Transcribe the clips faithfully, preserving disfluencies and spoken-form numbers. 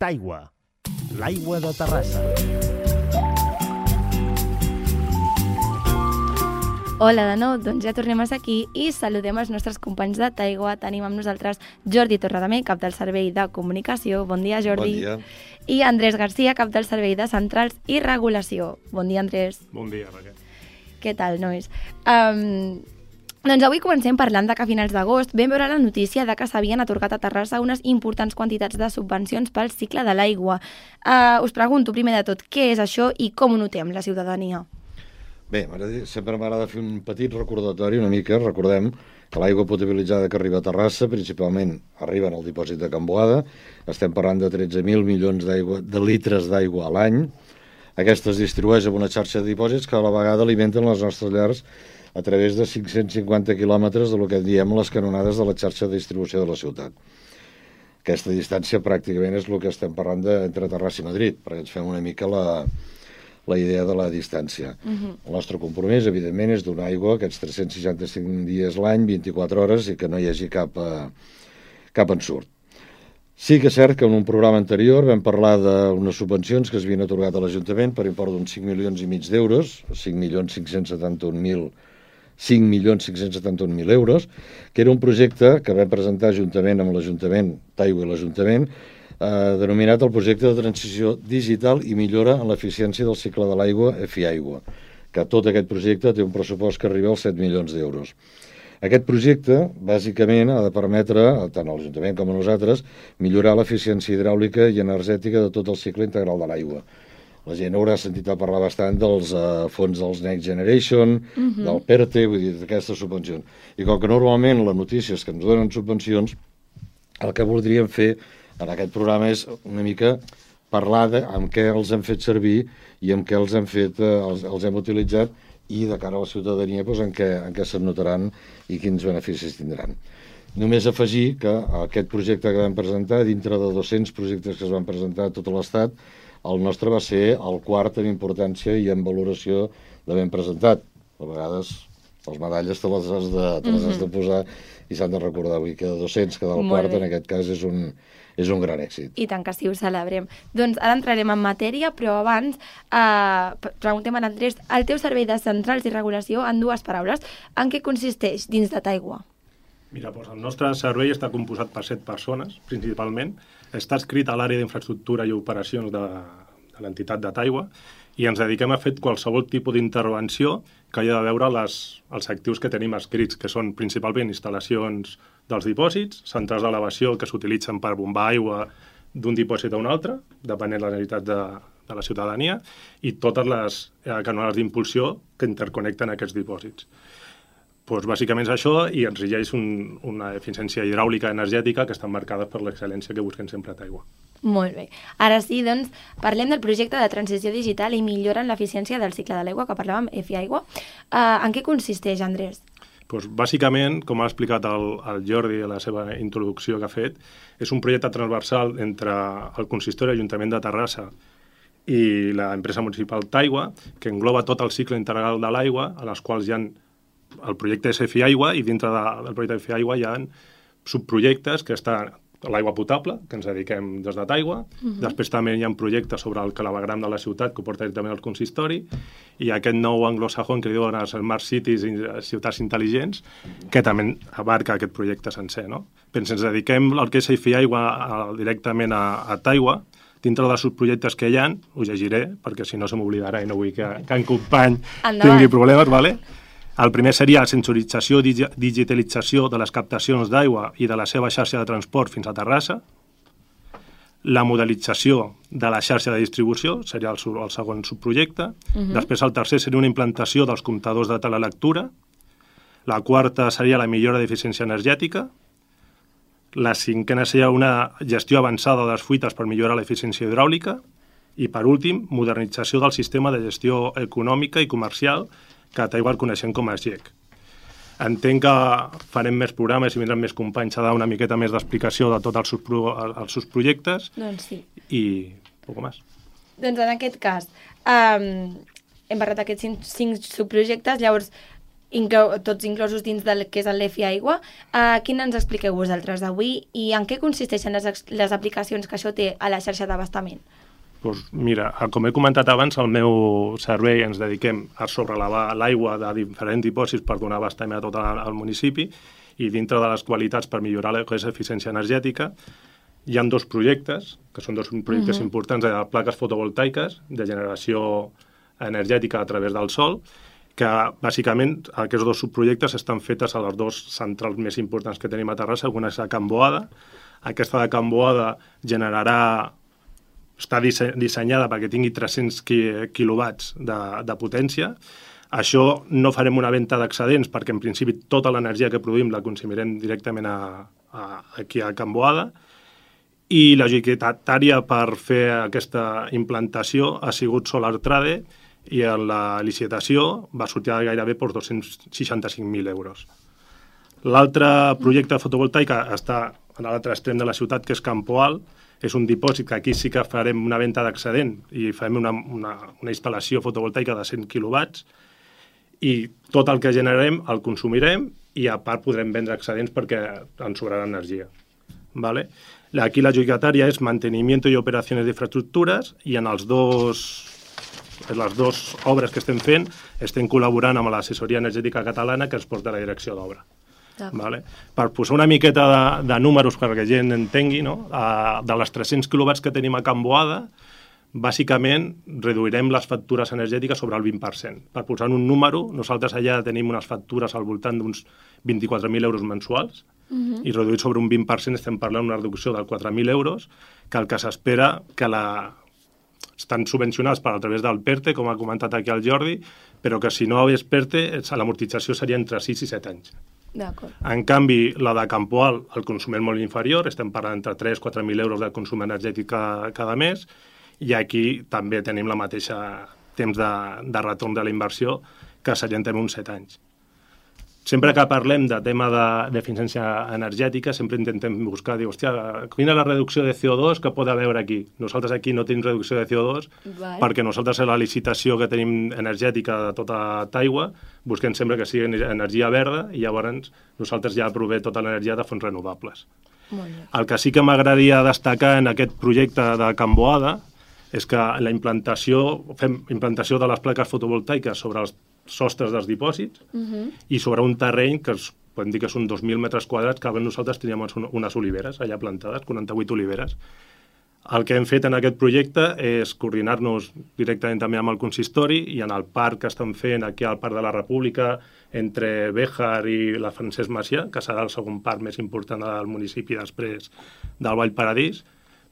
Taigua, l'aigua de Terrassa. Hola de nou, doncs ja tornem a ser aquí i saludem els nostres companys de Taigua. Tenim amb nosaltres Jordi Torredamer, cap del Servei de Comunicació. Bon dia, Jordi. Bon dia. I Andrés Garcia, cap del Servei de Centrals i Regulació. Bon dia, Andrés. Bon dia, Raquel. Què tal, nois? Um, doncs avui comencem parlant de que a finals d'agost vam veure la notícia de que s'havien atorgat a Terrassa unes importants quantitats de subvencions pel cicle de l'aigua. Uh, us pregunto, primer de tot, què és això i com ho notem la ciutadania? Bé, sempre m'agrada fer un petit recordatori, una mica, recordem que l'aigua potabilitzada que arriba a Terrassa, principalment arriba en el dipòsit de Can Boada, estem parlant de tretze mil milions de litres d'aigua a l'any. Aquesta es distribueix en una xarxa de dipòsits que a la vegada alimenten les nostres llars a través de cinc-cents cinquanta quilòmetres de lo que en diem les canonades de la xarxa de distribució de la ciutat. Aquesta distància pràcticament és el que estem parlant de, entre Terrassa i Madrid, perquè ens fem una mica la... la idea de la distància. Uh-huh. El nostre compromís, evidentment, és donar aigua aquests tres-cents seixanta-cinc dies l'any, vint-i-quatre hores, i que no hi hagi cap, eh, cap ensurt. Sí que és cert que en un programa anterior vam parlar d'unes subvencions que es havien atorgat a l'Ajuntament per import d'uns cinc milions i mig d'euros, cinc milions cinc-cents setanta-un mil cinc milions cinc-cents setanta-un mil euros, que era un projecte que vam presentar juntament amb l'Ajuntament, Taigua i l'Ajuntament, Eh, denominat el projecte de transició digital i millora en l'eficiència del cicle de l'aigua EFIaigua, que tot aquest projecte té un pressupost que arriba als set milions d'euros. Aquest projecte, bàsicament, ha de permetre, tant a l'Ajuntament com a nosaltres, millorar l'eficiència hidràulica i energètica de tot el cicle integral de l'aigua. La gent haurà sentit a parlar bastant dels uh, fons dels Next Generation, uh-huh. del PERTE, vull dir, d'aquestes subvencions. I com que normalment la notícia és que ens donen subvencions, el que voldríem fer en aquest programa és una mica parlar de amb què els hem fet servir i amb què els hem fet, eh, els, els hem utilitzat i de cara a la ciutadania doncs, en què, en què se'n notaran i quins beneficis tindran. Només afegir que aquest projecte que vam presentar, dintre de dos-cents projectes que es van presentar a tot l'Estat, el nostre va ser el quart en importància i en valoració d'haver presentat. A vegades les medalles te les has de, te les has de posar i s'han de recordar. Vull dir que de dos-cents quedar el quart, en aquest cas, és un, és un gran èxit. I tant que sí, ho celebrem. Doncs ara entrarem en matèria, però abans eh, preguntem a l'Andrés, el teu servei de centrals i regulació, en dues paraules, en què consisteix dins de Taigua? Mira, doncs el nostre servei està composat per set persones, principalment. Està escrit a l'àrea d'infraestructura i operacions de, de l'entitat de Taigua i ens dediquem a fer qualsevol tipus d'intervenció que hagi de veure les, els actius que tenim escrits, que són principalment instal·lacions dels dipòsits, centrals d'elevació que s'utilitzen per bombar aigua d'un dipòsit a un altre, depenent de la necessitat de, de la ciutadania, i totes les eh, canonades d'impulsió que interconnecten aquests dipòsits. Pues, bàsicament és això i ens regeix un, una eficiència hidràulica energètica que estan marcades per l'excel·lència que busquem sempre a Taigua. Molt bé. Ara sí, doncs, parlem del projecte de transició digital i millora en l'eficiència del cicle de l'aigua, que parlàvem, EFIaigua. Uh, en què consisteix, Andrés? Pues, bàsicament, com ha explicat el, el Jordi a la seva introducció que ha fet, és un projecte transversal entre el consistori Ajuntament de Terrassa i l'empresa municipal Taigua, que engloba tot el cicle integral de l'aigua, a les quals hi ha el projecte és EFIaigua i dintre de, del projecte EFIaigua hi ha subprojectes que estan l'aigua potable, que ens dediquem des de Taigua. Uh-huh. Després també hi ha projectes sobre el clavegram de la ciutat, que ho porta directament al consistori, i aquest nou anglosajón que diuen els Smart Cities i ciutats intel·ligents, que també abarca aquest projecte sencer, no? Però ens dediquem al que és EFIaigua directament a, a Taigua. Dintre dels subprojectes que hi ha, ho llegiré, perquè si no se m'oblidarà i no vull que, que en company tingui problemes, vale? El primer seria la sensorització i digitalització de les captacions d'aigua i de la seva xarxa de transport fins a Terrassa. La modelització de la xarxa de distribució seria el, el segon subprojecte. Uh-huh. Després el tercer seria una implantació dels comptadors de telelectura. La quarta seria la millora d'eficiència energètica. La cinquena seria una gestió avançada de les fuites per millorar l'eficiència hidràulica. I, per últim, modernització del sistema de gestió econòmica i comercial que a Taigua el coneixem com a S G E C. Entenc que farem més programes i vindran més companys a dar una miqueta més d'explicació de tots els, subpro, els seus projectes. Doncs sí. I poc més. Doncs en aquest cas, um, hem parlat d'aquests cinc, cinc subprojectes, llavors inclou, tots inclosos dins del que és el l'E F I Aigua. Uh, quin ens expliqueu vosaltres avui i en què consisteixen les, les aplicacions que això té a la xarxa d'abastament? Pues mira, com he comentat abans, al meu servei ens dediquem a sobrelevar l'aigua de diferents dipòsits per donar abastament a tot el municipi i dintre de les qualitats per millorar la eficiència energètica hi ha dos projectes, que són dos projectes uh-huh. importants de plaques fotovoltaiques de generació energètica a través del sol, que bàsicament aquests dos subprojectes estan fetes a les dues centrals més importants que tenim a Terrassa. Una és a Can Boada. Aquesta de Can Boada generarà, està dissenyada perquè tingui tres-cents quilowatts de, de potència. Això no farem una venda d'excedents perquè en principi tota l'energia que produïm la consumirem directament a, a, aquí a Can Boada. I la adjudicatària per fer aquesta implantació ha sigut Solar Trade i en la licitació va sortir gairebé per dos-cents seixanta-cinc mil euros. L'altre projecte fotovoltaic està a l'altre extrem de la ciutat, que és Campo Alt. És un dipòsit que aquí sí que farem una venda d'excedent i farem una, una, una instal·lació fotovoltaica de cent quilowatts i tot el que generarem el consumirem i a part podrem vendre excedents perquè ens sobrarà energia. ¿Vale? Aquí la adjudicatària és mantenimiento i operacions d'infraestructures i en els dos, en les dues obres que estem fent estem col·laborant amb l'assessoria energètica catalana que ens porta a la direcció d'obra. Vale? Per posar una miqueta de, de números perquè la gent entengui, no? De les tres-cents quilowatts que tenim a Can Boada, bàsicament reduirem les factures energètiques sobre el vint per cent. Per posar un número, nosaltres allà tenim unes factures al voltant d'uns vint-i-quatre mil euros mensuals, uh-huh. i reduït sobre un vint per cent estem parlant d'una reducció de quatre mil euros, que el que s'espera que la... estan subvencionats per a través del PERTE, com ha comentat aquí el Jordi, però que si no hagués PERTE, l'amortització seria entre sis i set anys. En canvi, la de Campo Alt, el consum és molt inferior, estem parlant entre tres a quatre mil euros de consum energètic cada, cada mes, i aquí també tenim la mateixa temps de, de retorn de la inversió, que serien també uns set anys. Sempre que parlem de tema d'eficiència energètica, sempre intentem buscar, dir, hòstia, quina és la reducció de C O dos que pot haver aquí? Nosaltres aquí no tenim reducció de C O dos vale. Perquè nosaltres a la licitació que tenim energètica de tota Taigua busquem sempre que sigui energia verda i llavors nosaltres ja provem tota l'energia de fonts renovables. El que sí que m'agradaria destacar en aquest projecte de Can Boada és que la implantació, fem implantació de les plaques fotovoltaiques sobre els sostres dels dipòsits uh-huh. i sobre un terreny que es, podem dir que són dos mil metres quadrats, que abans nosaltres teníem unes oliveres allà plantades, quaranta-vuit oliveres. El que hem fet en aquest projecte és coordinar-nos directament també amb el consistori i en el parc que estan fent aquí al Parc de la República entre Béjar i la Francesc Macià, que serà el segon parc més important del municipi després del Vall Paradís,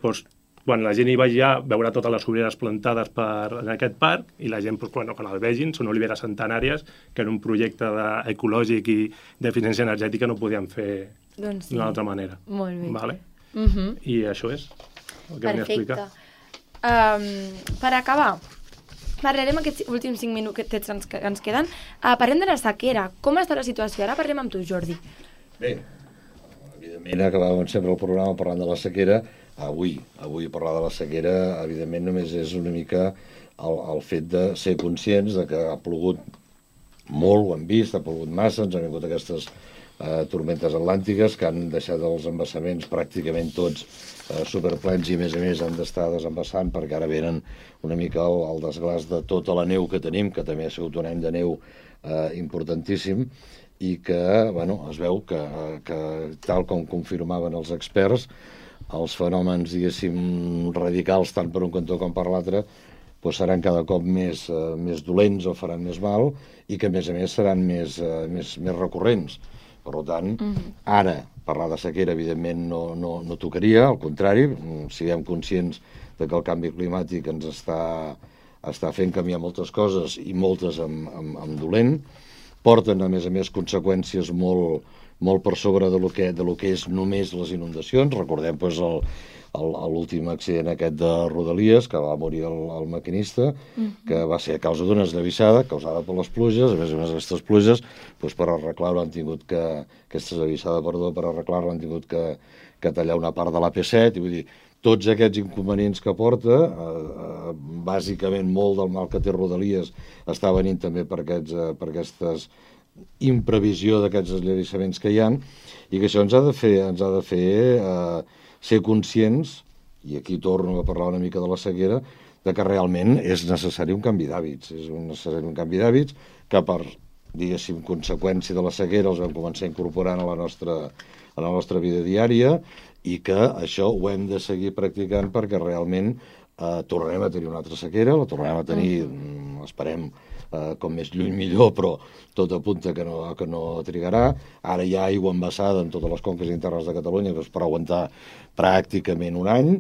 doncs quan la gent hi vagi ja veurà totes les oliveres plantades per, en aquest parc i la gent, doncs, bueno, quan el vegin, són oliveres centenàries que en un projecte ecològic i d'eficiència energètica no podíem fer doncs sí. d'una altra manera. Molt bé. Vale? Uh-huh. I això és el que venia a explicar. Um, per acabar, parlarem aquests últims cinc minutets que ens, que ens queden. Uh, parlem de la sequera. Com està la situació? Ara parlem amb tu, Jordi. Bé, evidentment acabàvem sempre el programa parlant de la sequera. Avui, avui parlar de la sequera, evidentment, només és una mica el, el fet de ser conscients de que ha plogut molt, ho hem vist, ha plogut massa, ens han vingut aquestes eh, tormentes atlàntiques que han deixat els embassaments pràcticament tots eh, superplens i, a més a més, han d'estar desembassant perquè ara venen una mica el, el desglàs de tota la neu que tenim, que també ha sigut un any de neu eh, importantíssim, i que, bueno, es veu que, que tal com confirmaven els experts, els fenòmens, diguéssim, radicals, tant per un cantó com per l'altre, doncs seran cada cop més, eh, més dolents o faran més mal i que, a més a més, seran més, eh, més, més recurrents. Per tant, mm-hmm. ara, parlar de sequera, evidentment, no, no, no tocaria, al contrari, siguem conscients de que el canvi climàtic ens està, està fent canviar moltes coses i moltes amb, amb, amb dolent, porten, a més a més, conseqüències molt molt per sobre de lo que, de lo que és només les inundacions. Recordem doncs, l'últim accident aquest de Rodalies, que va morir el, el maquinista, mm-hmm. que va ser a causa d'una esllavissada causada per les pluges. A més a més, aquestes pluges, doncs, per arreglar-ho han tingut que, aquesta esllavissada, perdó, per arreglar-ho han tingut que, que tallar una part de l'A P set, i vull dir, tots aquests inconvenients que porta, eh, eh, bàsicament molt del mal que té Rodalies està venint també per, aquests, eh, per aquestes imprevisió d'aquests esllavassaments que hi ha, i que això ens ha de fer, ens ha de fer eh, ser conscients, i aquí torno a parlar una mica de la sequera, de que realment és necessari un canvi d'hàbits. És un necessari un canvi d'hàbits que per, diguéssim, conseqüència de la sequera els vam començar incorporant a la nostra, a la nostra vida diària, i que això ho hem de seguir practicant perquè realment eh, tornarem a tenir una altra sequera, la tornarem a tenir, mm. esperem, eh, com més lluny millor, però tot apunta que no, que no trigarà. Ara hi ha aigua embassada en totes les conques internes de Catalunya doncs, per aguantar pràcticament un any,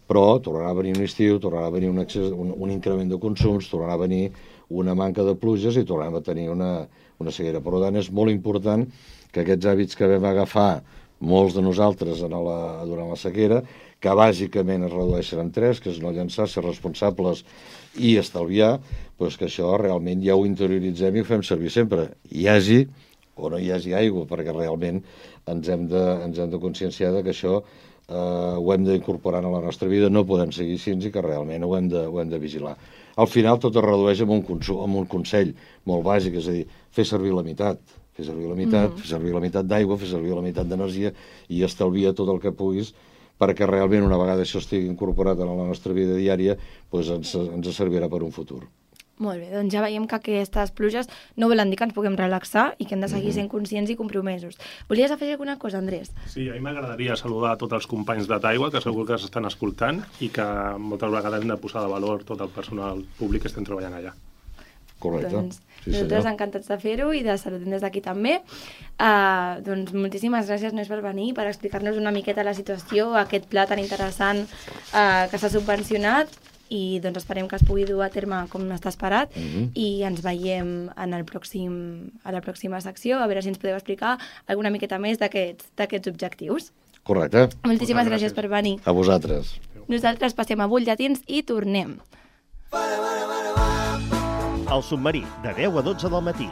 però tornarà a venir un estiu, tornarà a venir un, excés, un, un increment de consums, tornarà a venir una manca de pluges i tornarem a tenir una, una sequera. Per tant, és molt important que aquests hàbits que vam agafar molts de nosaltres en la, durant la sequera, que bàsicament es redueixen en tres, que és no llançar, ser responsables i estalviar, doncs que això realment ja ho interioritzem i ho fem servir sempre. Hi hagi o no hi hagi aigua, perquè realment ens hem de, ens hem de conscienciar de que això eh, ho hem d'incorporar a la nostra vida, no podem seguir així i que realment ho hem de, ho hem de vigilar. Al final tot es redueix amb un, consum, amb un consell molt bàsic, és a dir, fer servir la meitat, fer servir la meitat, mm. fer servir la meitat d'aigua, fer servir la meitat d'energia i estalvia tot el que puguis perquè realment una vegada això estigui incorporat en la nostra vida diària doncs ens, ens servirà per un futur. Molt bé, doncs ja veiem que aquestes pluges no volen dir que ens puguem relaxar i que hem de seguir sent conscients i compromesos. Volies afegir alguna cosa, Andrés? Sí, a mi m'agradaria saludar a tots els companys de Taigua, que segur que s'estan escoltant i que moltes vegades hem de posar de valor tot el personal públic que estem treballant allà. Correcte. Doncs sí, nosaltres senyor. encantats de fer-ho i de saludem des d'aquí també. Uh, doncs moltíssimes gràcies, Nois, per venir, per explicar-nos una miqueta la situació, aquest pla tan interessant uh, que s'ha subvencionat, i doncs esperem que es pugui dur a terme com està esperat uh-huh. i ens veiem en el pròxim, a la pròxima secció, a veure si ens podeu explicar alguna miqueta més d'aquests objectius. Correcte. Moltíssimes gràcies. gràcies per venir. A vosaltres. Nosaltres passem a butlletins i tornem. El submarí, de deu a dotze del matí.